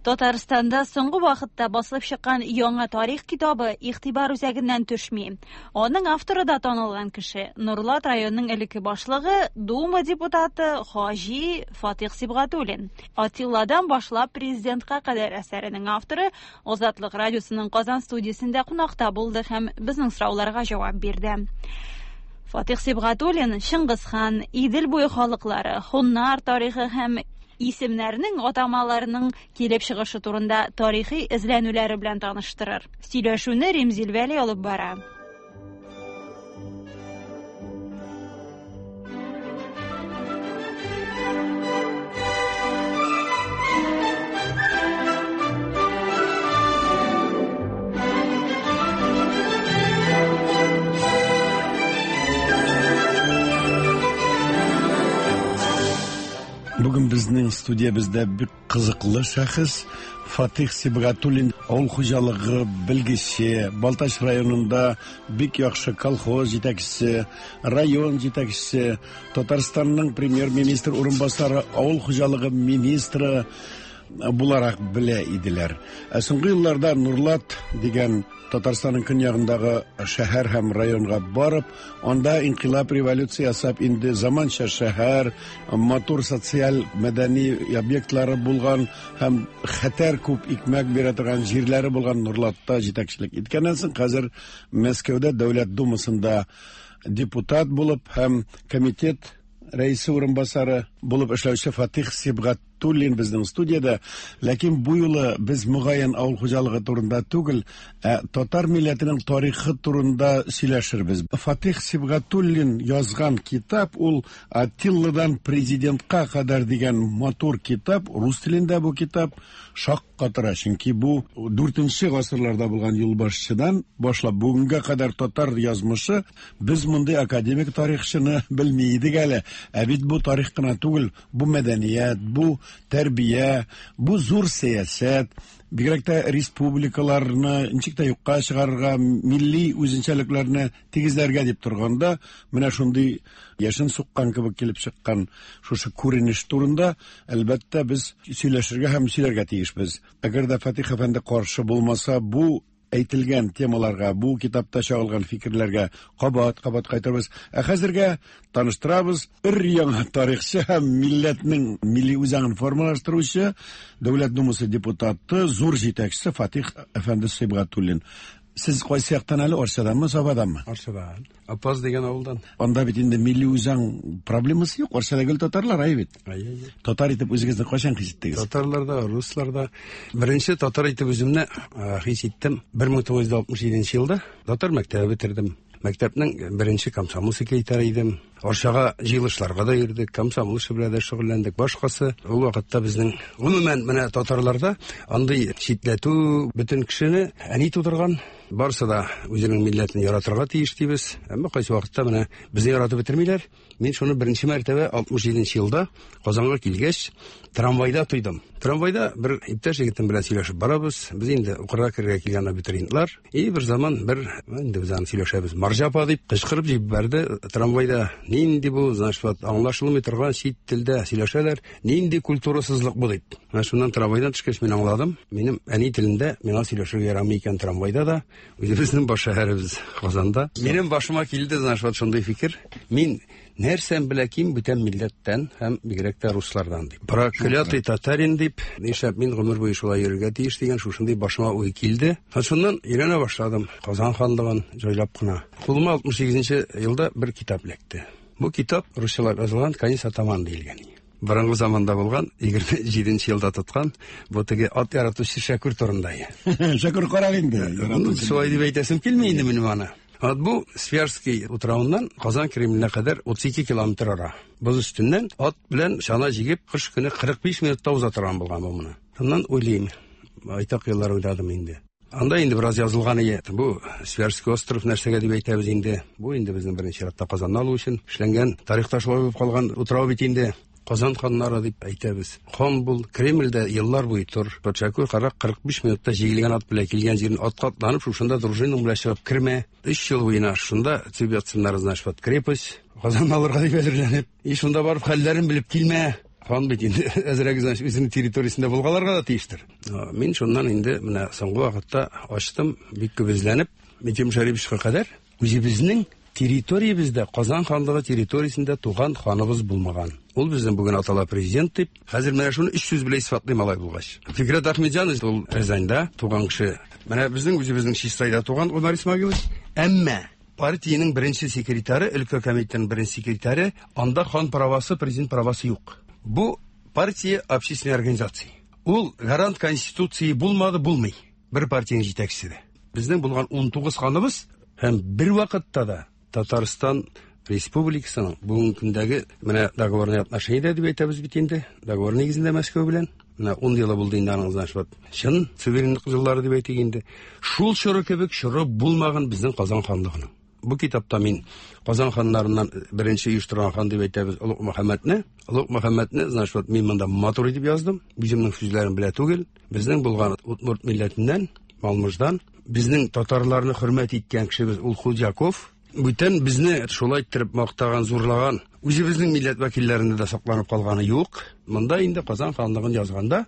Татарстанда соңгы вакытта басылып чыккан яңа тарих китабы игътибар үзәгеннән төшми. Аның авторы да танылган кеше, Нурлат районының элекке башлыгы, Дума депутаты Хаҗи Фатих Сибгатуллин. Атилладан башлап президентка кадәр әсәренең авторы Азатлык радиосының Казан студиясендә кунакта булды һәм безнең сорауларга җавап бирде. Фатих Сибгатуллин Чыңгызхан, Идел буе халыклары, хуннар тарихы һәм исемнәрнең атамаларының килеп чыгышы турында тарихи эзләнүләре белән таныштырыр. Сөйләшүне Римзил Вәли алып бара. Бүген безнең студиябездә бик кызыклы шәхес Фатих Сибгатуллин, авыл хуҗалыгы белгече, Балтач районында бик яхшы колхоз җитәкчесе, район җитәкчесе, Татарстанның премьер-министр урынбасары, авыл хуҗалыгы министры буларак белә иделәр. Ә соңгы елларда Нурлат дигән Татарстанның көньягындагы шәһәр һәм районга барып, анда инкыйлаб революция ясап, инде заманча шәһәр, матур социаль мәдәни объектлары булган һәм хәтәр күп икмәк бирә торган җирләре булган Нурлатта җитәкчелек иткәннән соң, хәзер Мәскәүдә Дәүләт Думасында депутат булып һәм комитет рәисе урынбасары булып эшләүче Фатих Сибгатуллин безнең студиядә. Ләкин бу юлы без мөгаен авыл хуҗалыгы турында түгел, ә татар милләтенең тарихы турында сөйләшербез. Фатих Сибгатуллин язган китап ул Атилладан президентка кадәр дигән матур китап, рус телендә бу китап шаккатыра, чөнки бу 4 гасырларда булган юлбашчыдан башлап бүгенгә кадәр татар язмышы. Без мондый академик тарихчыны белми идек әле. Ә бит бу тарих кына түгел, бу мәдәният, бу тәрбия, бу зур сәясәт, бигрәк тә республикаларны ничек тә юкка чыгарырга, милли үзенчәлекләрне тигезләргә дип торганда, менә шундый яшен суккан кебек килеп чыккан шушы күренеш турында, әлбәттә, без сөйләшергә һәм сөйләргә тиешбез. Әгәр дә Фатих әфәнде каршы булмаса, бу әйтелгән темаларга, бу китапта чагылган фикерләргә кабат-кабат кайтырбыз. Ә хәзергә таныштырабыз өр-яңа тарихчы һәм милләтнең милли үзаңын формалаштыручы, Дәүләт Думасы депутаты, зур җитәкчесе Фатих әфәнде Сибгатуллин. Сез кайсы яктан әле, Арчаданмы, Сабаданмы? Арчадан. Апаз дигән авылдан. Анда бит инде милли үзаң проблемасы юк, Арчада гел татарлар, әй бит. Әй, әй. Татар итеп үзегезне кайчан хис иттегез? Татарлар да, руслар да. Беренче татар итеп үземне хис иттем 1967 елда. Татар мәктәбе бетердем. Мәктәпнең беренче комсомол секретаре идем. Арчага җыелышларга да йөрдек, комсомол эше белән дә шөгыльләндек. Башкасы ул вакытта безнең гомумән менә татарларда андый читләтү бөтен кешене әни тудырган, барысы да үзенең милләтен яратырга тиеш дибез. Әмма кайсы вакытта менә безне яратып бетермиләр. Мин шуны беренче мәртәбә 67 елда Казанга килгәч, трамвайда тойдым. Трамвайда бер иптәш егетем белән сөйләшеп барабыз. Без инде укырга керергә килгән абитуриентлар. И бер заман бер инде без аны сөйләшәбез. Марҗа апа дип кычкырып җибәрде трамвайда. Нинди бу, значит, вот аңлашылмый торган чит телдә сөйләшәләр. Нинди культурасызлык бу дип. Менә шуннан трамвайдан төшкәч мин аңладым. Минем әни телендә миңа сөйләшергә ярамый икән трамвайда да. Үзебезнең баш шәһәребез Казанда. Минем башыма килде, значит, вот шундый фикер. Мин нәрсәм белә ким бүтән милләттән һәм бигрәк тә руслардан дип. Проклятый татарин дип, нишләп мин гомер буе шулай йөрергә тиеш дигән шушындый башыма уй килде. Һәм шуннан өйрәнә башладым Казан ханлыгын җайлап кына. Кулыма 68 елда бер китап эләкте. Бу китап русчалап язылган Конец атаман диелгән. Борынгы заманда булган, 27 елда тоткан, бу теге ат яратучы Шәкүр турында. Шәкүр карак инде. Шулай дип әйтәсем килми инде минем аны. Вот бу Свияжский утравыннан Казан Кремленә кадәр 32 километр ара. Боз өстеннән ат белән чана җигеп, кыш көне 45 минутта уза торган булган бу моны. Шуннан уйлыйм, байтак еллар уйладым инде. Анда инде бераз язылган иде. Бу Свияжский остров нәрсәгә дип әйтәбез инде. Бу инде безнең беренче чиратта Казанны алу өчен эшләнгән, тарихта шулай булып калган утрау бит инде. Казан ханнары дип әйтәбез. Хан бул, Кремльдә еллар буе тор. Патшакүр карак 45 минутта җигелгән ат белән килгән җирен атка атланып, шушында дружинаң белән чыгып кермә. 3 ел буена шунда төб ятсыннар, значит, вот крепость. Казанны алырга дип әзерләнеп. И шунда барып хәлләрен белеп килмә. Хан бит инде әзрәк, значит, үзенең территориясендә булгаларга да тиештер. Мин шуннан инде менә соңгы вакытта ачтым, бик күп эзләнеп, Минтимер Шәриповичка кадәр үзебезнең территориябездә, Казан ханлыгы территориясендә туган ханыбыз булмаган. Ул безнең бүген атала президент дип. Хәзер менә шуны өч сүз белән исбатлыйм алай булгач. Фикрәт Ахмедҗанов ул Рязаньда туган кеше. Менә безнең үзебезнең Чистайда туган Гомәр Исмагилович. Әмма партиянең беренче секретаре, өлкә комитетының беренче секретаре, анда хан правасы, президент правасы юк. Бу партия общественной организации. Ул гарант конституции булмады, булмый. Бер партиянең җитәкчесе дә. Безнең булган 19 ханыбыз һәм бер вакытта да Татарстан Республикасының бүгенге көндәге менә договорный отношение дип әйтәбез бит инде, договор нигезендә Мәскәү белән. Менә 10 елы булды инде аның, значит, вот, чын суверенлык еллары дип әйтик инде. Шул чоры кебек чоры булмаган безнең Казан ханлыгының. Бу китапта мин Казан ханнарыннан беренче оештырган хан дип әйтәбез Олуг Мөхәммәдне. Олуг Мөхәммәдне, значит, вот, мин монда матур итеп яздым. Үземнең сүзләрем белә түгел. Безнең булган удмурт милләтеннән, Малмыждан, безнең татарларны хөрмәт иткән кешебез ул Худяков. Бүтән безне шулай иттереп мактаган, зурлаган, үзебезнең милләт вәкилләрендә дә сакланып калганы юк. Монда инде Казан ханлыгын язганда,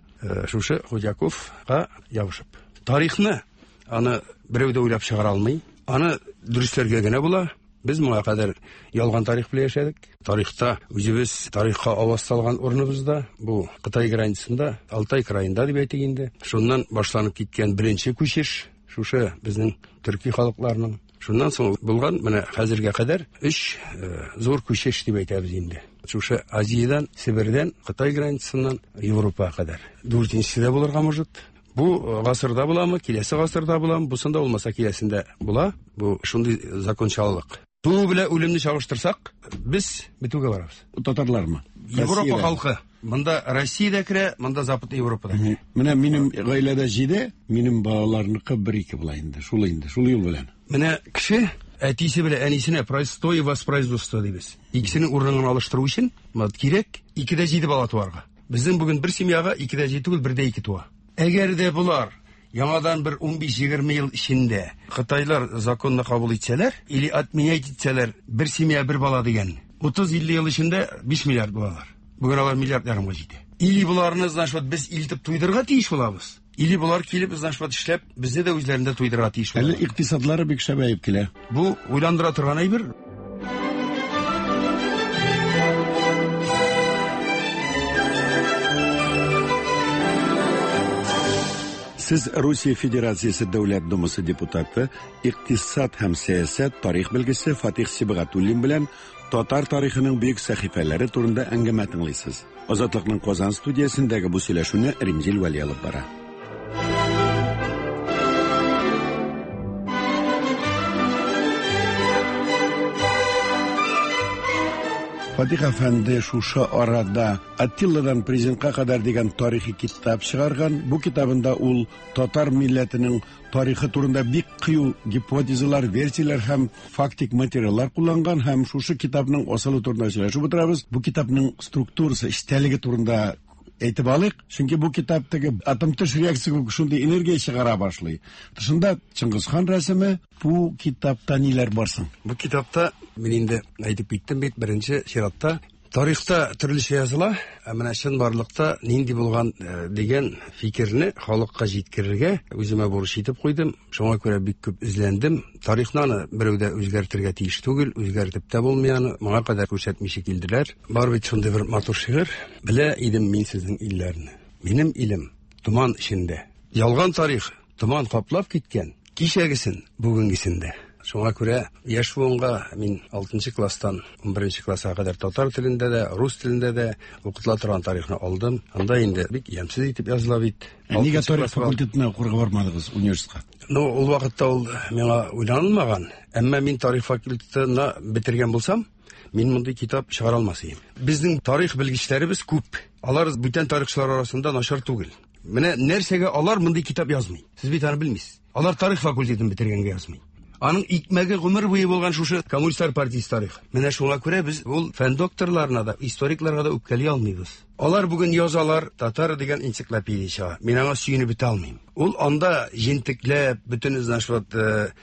шушы Худяковка ябышып. Тарихны аны берәү дә уйлап чыгара алмый. Аны дөресләргә генә була. Без моңа кадәр ялган тарих белән яшәдек. Тарихта үзебез тарихка аваз салган урыныбызда, бу Кытай границасында, Алтай краенда дип әйтик инде. Шуннан башланып киткән беренче күчеш, шушы безнең төрки халыкларның. Шуннан соң булган менә хәзергә кадәр өч зур күчеш дип әйтәбез инде. Шушы Азиядән, Себердән, Кытай границасыннан Европага кадәр. Дүртенчесе дә булырга может. Бу гасырда буламы, киләсе гасырда буламы, бусында булмаса киләсендә була. Бу шундый закончалык. Туу белән үлемне чагыштырсак, без бетүгә барабыз. Татарлармы? Европа халкы. Монда Россия дә керә, монда Западный Европа да керә. Менә минем гаиләдә 7, минем балаларныкы 1-2 була инде. Шул инде, шул юл белән. Менә кеше әтисе белән әнисенә простое воспроизводство дибез. Икесенең урынын алыштыру өчен кирәк 2-7 бала туарга. Безнең бүген бер семьяга 2-7 түгел, 1-2 туа. Әгәр дә болар яңадан бер 15-20 ел эчендә Кытайлар законны кабул итсәләр, или отменять итсәләр, бер семья бер бала дигән, 30-50 ел эчендә 5 миллиард булалар. Бүген алар миллиард ярымга җитә. Или боларны, значит, вот без илтеп туйдырырга тиеш булабыз. Или болар килеп, значит, вот эшләп, безне дә үзләрендә туйдырырга тиеш Әле булалар. Икътисадлары бик шәбәеп килә. Бу уйландыра торган әйбер. Сез Русия Федерациясе Дәүләт Думасы депутаты, икътисад һәм сәясәт тарих белгече Фатих Сибгатуллин белән татар тарихының бөек сәхифәләре турында әңгәмә тыңлыйсыз. Азатлыкның Казан студиясендәге бу сөйләшүне Римзил Вәли алып бара. Фатих әфәнде шушы арада Аттиладан президентка кадәр дигән тарихи китап чыгарган. Бу китабында ул татар милләтенең тарихы турында бик кыю гипотезалар, версияләр һәм фактик материаллар кулланган һәм шушы китапның асылы турында сөйләшеп утырабыз. Бу китапның структурасы, эчтәлеге турында әйтеп алыйк. Чөнки бу китап теге атом төш реакция шундый энергия чыгара башлый. Тышында Чыңгыз хан рәсеме. Бу китапта ниләр бар соң? Бу китапта мин инде әйтеп киттем бит, беренче чиратта тарихта төрлечә языла, ә менә чынбарлыкта нинди булган дигән фикерне халыкка җиткерергә үземә бурыч итеп куйдым. Шуңа күрә бик күп эзләндем. Тарихны аны берәү дә үзгәртергә тиеш түгел, үзгәртеп тә булмый аны. Моңа кадәр күрсәтмичә килделәр. Бар бит шундый бер матур шигырь. Белә идем мин сезнең илләрне. Минем илем томан эчендә. Ялган тарих томан каплап киткән, кичәгесен, бүгенгесен дә. Шуңа күрә яшь буынга мин 6 класстан 11 класска кадәр татар телендә дә, рус телендә дә укытыла торган тарихны алдым. Анда инде бик ямьсез итеп языла бит. Ә нигә Алтынчы тарих класс бал- факультетына укырга бармадыгыз университетка? Ну, ул вакытта ул миңа уйланылмаган. Әмма мин тарих факультетына бетергән булсам, мин мондый китап чыгара алмас идем. Безнең тарих белгечләребез күп. Алар бүтән тарихчылар арасында начар түгел. Менә нәрсәгә алар мондый китап язмый? Сез бит аны белмисез. Алар тарих факультетын бетергәнгә язмый. Аның икмәге гомер буе булган шушы коммунистлар партиясе тарихы. Менә шуңа күрә без ул фән докторларына да, историкларга да үпкәли алмыйбыз. Алар бүген язалар, татар дигән энциклопедия чыга. Мин аңа сөенеп бетә алмыйм. Ул анда җентекләп, бөтен значит,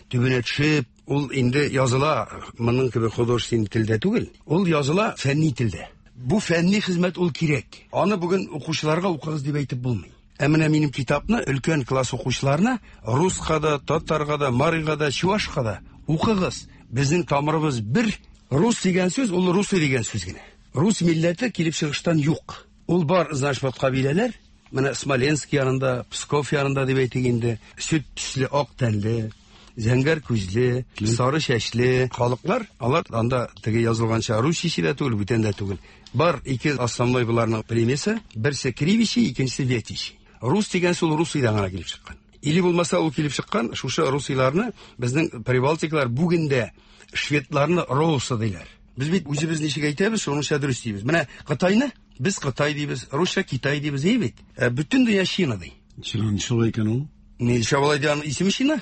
төбенә төшеп, ул инде языла моның кебек художественный телдә түгел. Ул языла фәнни телдә. Бу фәнни хезмәт ул кирәк. Аны бүген укучыларга укыгыз дип әйтеп булмый. Ә менә минем китапны өлкән класс укучыларына руска да, татарга да, марига да, чувашка да укыгыз. Безнең тамырыбыз бер. Рус дигән сүз ул русы дигән сүз генә. Рус милләте килеп чыгыштан юк. Ул бар, значит, вот кабиләләр. Менә Смоленск янында, Псков янында дип әйтик инде, сөт төсле ак тәнле, зәңгәр күзле, сары чәчле халыклар, алар анда теге язылганча русичә дә түгел, бүтән дә түгел. Бар ике основной буларның племясы, берсе Кривичи, икенчесе Ветичи. Рус дигән сүз Русиядән генә килеп чыккан. Или булмаса ул килеп чыккан, шушы русиларны безнең прибалтиклар бүген дә шведларны роусы диләр. Без бит үзебез ничек әйтәбез, шуныңча дөрес дибез. Менә Кытайны без Кытай дибез, русча Китай дибез, әй бит. Ә бөтен дөнья Чина ди. Чина ничек икән ул? Ничә болай дигән исеме Чина?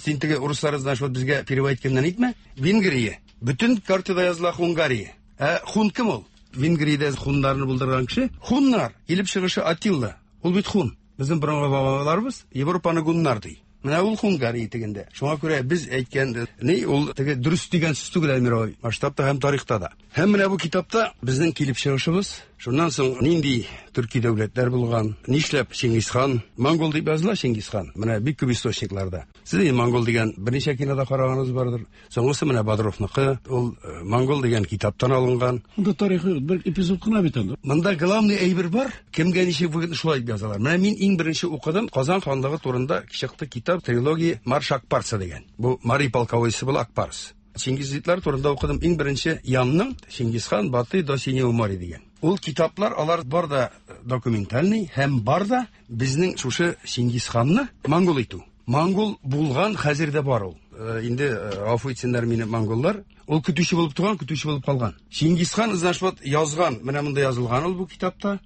Син теге урыслар, значит, вот безгә перевод иткәннән әйтмә. Венгрия. Бөтен картада языла Хунгария. Ә хун кем ул? Венгриядә хуннарны булдырган кеше. Хуннар, килеп чыгышы Атилла. Ул бит хун. Безнең борынгы бабаларыбыз Европаны гуннар ди. Менә ул Хунгария тегендә. Шуңа күрә без әйткән ни ул теге дөрес дигән сүз түгел, Әлмир абый, масштабта һәм тарихта да. Һәм менә бу китапта безнең килеп чыгышыбыз, шуннан соң нинди төрки дәүләтләр булган, нишләп Чингисхан, монгол дип языла Чингисхан, менә бик күп источникларда. Сез инде монгол дигән берничә кинода караганыгыз бардыр. Соңгысы менә Бодровныкы, ул монгол дигән китаптан алынган. Монда тарихы бер эпизод кына бит анда. Монда главный әйбер бар, кемгә ничек выгодно шулай дип язалар. Менә мин иң беренче укыдым, Казан ханлыгы турында чыкты китап, трилогия Марш Акпарса дигән. Бу Мари полководецы була Акпарс. Чингизидлар турында укыдым иң беренче Янның Чингисхан Батый до Синего моря дигән. Ул китаплар алар бар да документальный һәм бар да безнең шушы Чингисханны монгол итү. Монгол булган, хәзер дә бар ул. Инде гафу итсеннәр мине монголлар. Ул көтүче булып туган, көтүче булып калган. Чингисхан, значит, вот язган, менә монда язылган ул бу китапта.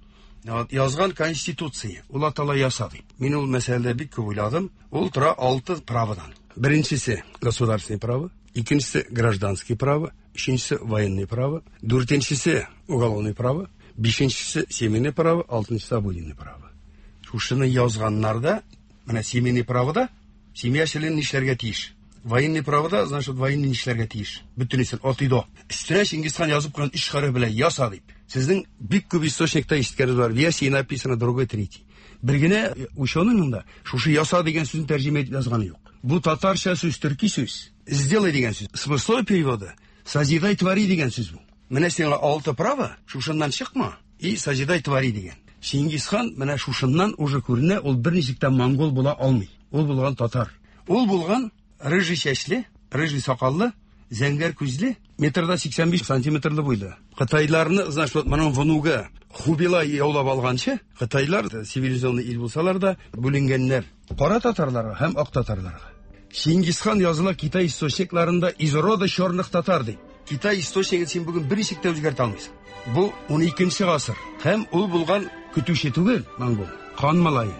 Вот, язган конституция. Ул атала яса дип. Мин ул мәсьәләдә бик күп уйладым. Ул тора 6 праводан. Беренчесе государственный право, икенчесе гражданский право, өченчесе военный право, дүртенчесе уголовный право, бишенчесе семейный право, алтынчысы обыденный право. Шушыны язганнарда менә семейный правода семья члены нишләргә тиеш? Военный правода, значит, военный нишләргә тиеш? Бөтенесен от и до. Өстенә Чингисхан язып куйган өч хәреф белән яса дип. Сезнең бик күп источникта ишеткәнегез бар. В Ясе написано другой, третий. Бер генә ученыйның да шушы яса дигән сүзне тәрҗемә итеп язганы юк. Бу татарча сүз, төрки сүз. Сделай дигән сүз. Смысловой переводы созидай, твори дигән сүз бу. Менә сиңа 6 право, шушыннан чыкма и созидай, твори дигән. Чингисхан менә шушыннан уже күренә, ул берничек тә монгол була алмый. Ул булган татар. Ул булган рыжий чәчле, рыжий сакаллы, зәңгәр күзле, метрда 85 сантиметрлы буйлы. Кытайларны, значит, вот моның внугы Хубилай яулап алганчы, Кытайлар цивилизованный ил булсалар да бүленгәннәр. Кара татарларга һәм ак татарларга. Чингисхан языла Китай источникларында из рода черных татар дип. Китай источнигын син бүген берничек тә үзгәртә алмыйсың. Бу 12 гасыр. Һәм ул булган көтүче түгел, монгол, хан малае.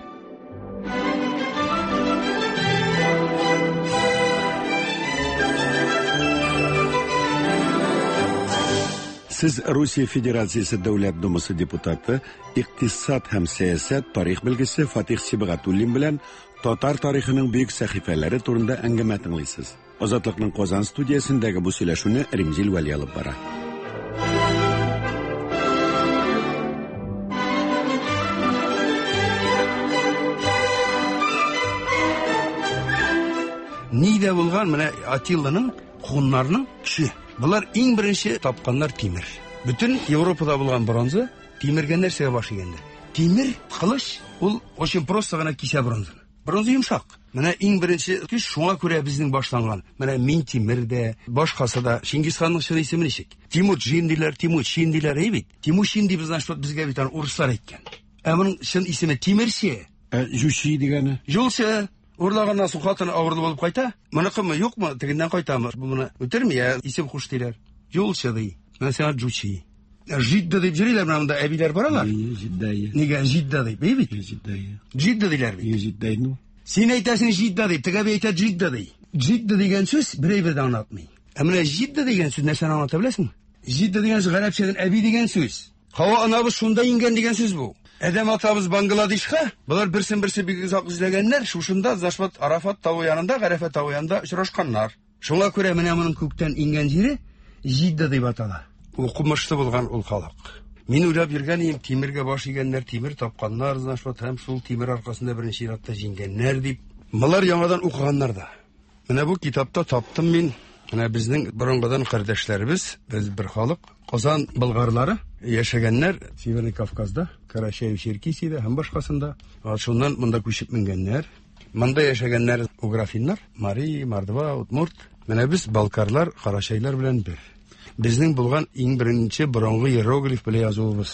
Сез Русия Федерациясе Дәүләт Думасы депутаты, икътисад һәм сәясәт тарих белгече Фатих Сибгатуллин белән татар тарихының бөек сәхифәләре турында әңгәмә тыңлыйсыз. Азатлыкның Казан студиясендәге бу сөйләшүне Римзил Вәли алып бара. Нидә булган менә Атилланың, хуннарның көче. Булар иң беренче тапканнар тимер. Бөтен Европада булган бронза тимергә нәрсәгә баш игәннәр? Тимер кылыч ул очень просто гына кисә бронзаны. Бронза йомшак. Менә иң беренче көч шуңа күрә безнең башланган. Менә Минтимер дә, башкасы да. Чингисханның чын исеме ничек? Тимурчин диләр, Тимучин диләр, әй бит. Тимучин дип, значит, вот безгә бит аны урыслар әйткән. Ә моның чын исеме Тимерче. Ә Җучи дигәне? Юлчы. Урлаганнан соң хатыны авырлы булып кайта. Моныкымы, юкмы, тегеннән кайтамы? Бу моны үтерми, ә исем куш диләр. Юлчы ди. Менә сиңа Җучи. Жидда дип йөриләр, менә монда әбиләр баралар. Җидда. Нигә Жидда дип, әй бит? Җидда. Жидда диләр бит. Җидда инде. Син әйтәсең Жидда дип, теге әби әйтә Жидда ди. Жидда дигән сүз бер әйбер дә аңлатмый. Ә менә Жидда дигән сүз нәрсәне аңлата беләсеңме? Жидда дигән сүз гарәпчәдән әби дигән сүз. Һава анабыз шунда иңгән дигән сүз бу. Адәм атабыз Бангладешка, болар берсен-берсе бик озак эзләгәннәр, шушында Зашват Арафат тавы янында, Гарәфә тавы янында очрашканнар. Шуңа күрә менә моның күктән иңгән җире Жидда дип атала. Укымышлы булган ул халык. Мин уйлап йөргән идем, тимергә баш игәннәр, тимер тапканнар, значит, вот, һәм шул тимер аркасында беренче чиратта җиңгәннәр дип. Болар яңадан укыганнар да. Менә бу китапта таптым мин. Менә безнең борынгыдан кардәшләребез, без бер халык, Казан болгарлары яшәгәннәр Северный Кавказда, Карачаево-Черкесиядә һәм башкасында. Шуннан монда күчеп менгәннәр. Монда яшәгәннәр уграфиннар, Мари, Мордва, Удмурт. Менә без балкарлар, карачайлар белән бер. Безнең булган иң беренче борынгы иероглиф белән язуыбыз.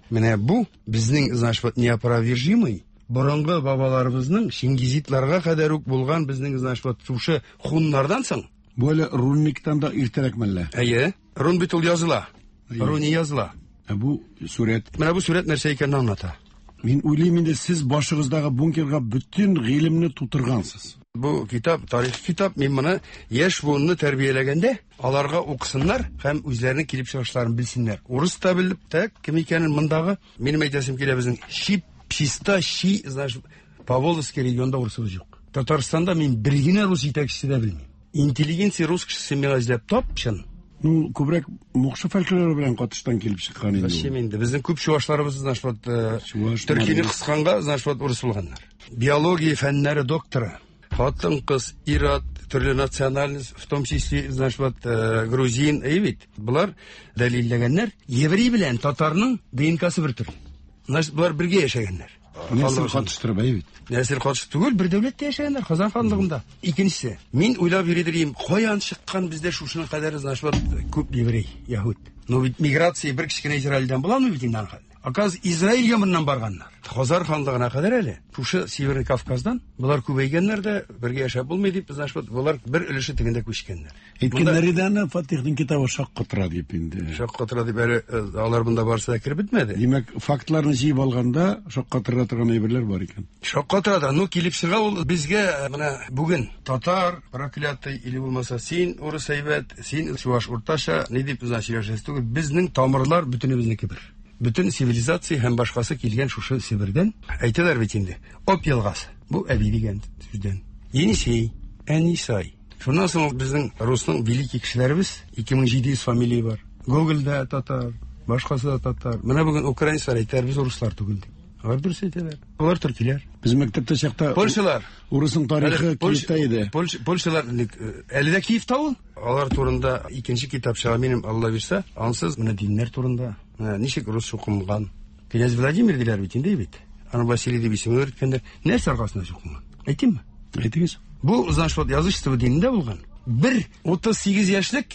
Менә бу безнең, значит, вот неопровержимый борынгы бабаларыбызның чингизидларга кадәр үк булган безнең, значит, вот шушы хуннардан соң. Бу әле рунниктан да иртәрәк мәллә? Әйе. Рун бит ул языла. Руни языла. Ә бу сурәт? Менә бу сурәт нәрсә икәнен аңлата. Мин уйлыйм инде, сез башыгыздагы бункерга бөтен гыйлемне тутыргансыз. Бу китап, тарихи китап. Мин моны яшь буынны тәрбияләгәндә, аларга укысыннар һәм үзләренең килеп чыгышларын белсеннәр. Урыс та белеп, так, кем икәнен мондагы, минем әйтәсем килә, безнең чип, чиста, щи, значит, Поволжский регионда урысыбыз юк. Татарстанда мин бер генә рус җитәкчесе дә белмим. Интеллигенция рус кешесе миңа эзләп тап, чын. Ну, күбрәк мукшы фольклоры белән катыштан килеп чыккан инде. Зачем инде? Безнең күп чувашларыбыз, значит, вот, төркине кысканга, значит, вот, урыс булганнар. Биология фәннәре докторы. Хатын-кыз, ир-ат, төрле национальность, в том числе, значит, вот, грузин, әй бит. Болар дәлилләгәннәр, еврей белән татарның ДНКсы бер төрле. Значит, болар бергә яшәгәннәр. Нәсел катыштырып, әй бит. Нәсел катыш түгел, бер дәүләттә яшәгәннәр, Казан ханлыгында. Икенчесе, мин уйлап йөридер идем, каян чыккан бездә шушының кадәр, значит, вот, күп еврей, яһүд. Но бит миграция бер кечкенә Израильдән буламы бит инде аның хәле? Оказывается, Израильгә моннан барганнар. Хазар ханлыгына кадәр әле. Шушы Северный Кавказдан болар күбәйгәннәр дә, бергә яшәп булмый дип, значит, вот, болар бер өлеше тегендә күчкәннәр. Әйткәннәр иде аны, Фатихның китабы шаккатыра дип инде. Шаккатыра дип әле алар монда барысы да кереп бетмәде. Димәк, фактларны җыеп алганда шаккатыра торган әйберләр бар икән. Шаккатыра да, ну килеп чыга ул безгә менә бүген татар проклятый или булмаса син урыс әйбәт, син чуваш уртача, ни дип значит сөйләшәсе түгел. Безнең тамырлар бөтенебезнеке бер. Бөтен цивилизация һәм башкасы килгән шушы Себердән. Әйтәләр бит инде. Оп елгасы. Бу әби дигән сүздән. Енисей, Әнисай. Шуннан соң безнең русның великий кешеләребез 2700 фамилия бар. Гогольдә татар, башкасы да татар. Менә бүген украинецлар әйтәләр, без руслар түгел дип. Алар дөрес әйтәләр. Алар төркиләр. Без мәктәптә чакта Польшалар. Урысның тарихы Киевта иде. Польшалар әле дә Киевта ул. Алар турында икенче китап чыга минем, Алла бирсә. Ансыз менә диннәр турында. Менә ничек рус чукынган. Князь Владимир диләр бит инде бит. Аны Василий дип исем йөрткәннәр. Нәрсә аркасында чукынган? Әйтимме? Әйтегез. Бу, значит, вот язычество динендә булган. Бер 38 яшьлек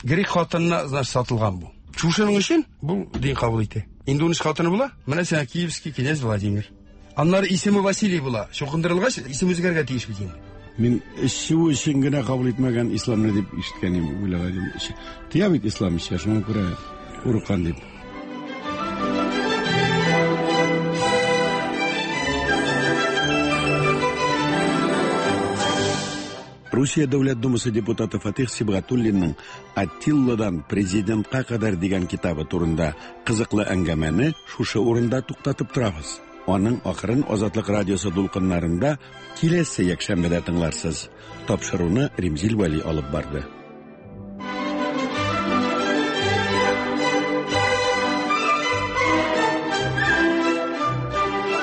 грек хатынына, значит, сатылган бу. Шушының өчен бу дин кабул итә. Инде 13 хатыны була. Менә сиңа Киевский князь Владимир. Аннары исеме Василий була. Чукындырылгач, исем үзгәргә тиеш бит инде. Мин эчү өчен генә кабул итмәгән исламны дип ишеткән идем, уйлаган идем. Тыя бит ислам эчә, шуңа күрә курыккан дип. Русия Дәүләт Думасы депутаты Фатих Сибгатуллинның Аттилладан президентка кадәр дигән китабы турында кызыклы әңгәмәне шушы урында туктатып торабыз. Аның ахырын Азатлык радиосы дулкыннарында киләсе якшәмбедә тыңларсыз. Тапшыруны Римзил Вәли алып барды.